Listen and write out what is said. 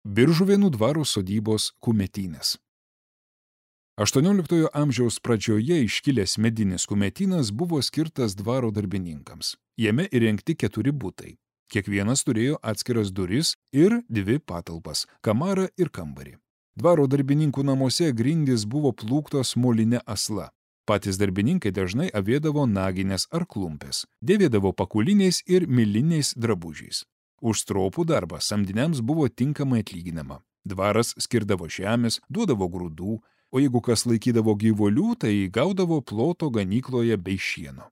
Biržuvėnų dvaro sodybos kumetynės. XVIII amžiaus pradžioje iškilęs medinis kumetynas buvo skirtas dvaro darbininkams. Jame įrengti 4 butai. Kiekvienas turėjo atskiras duris ir 2 patalpas – kamarą ir kambarį. Dvaro darbininkų namuose grindys buvo plūktos moline asla. Patys darbininkai dažnai avėdavo naginės ar klumpės, dėvėdavo pakuliniais ir miliniais drabužiais. Už stropų darbą samdiniams buvo tinkamai atlyginama. Dvaras skirdavo žemės, duodavo grūdų, o jeigu kas laikydavo gyvulių, tai gaudavo ploto ganykloje bei šieno.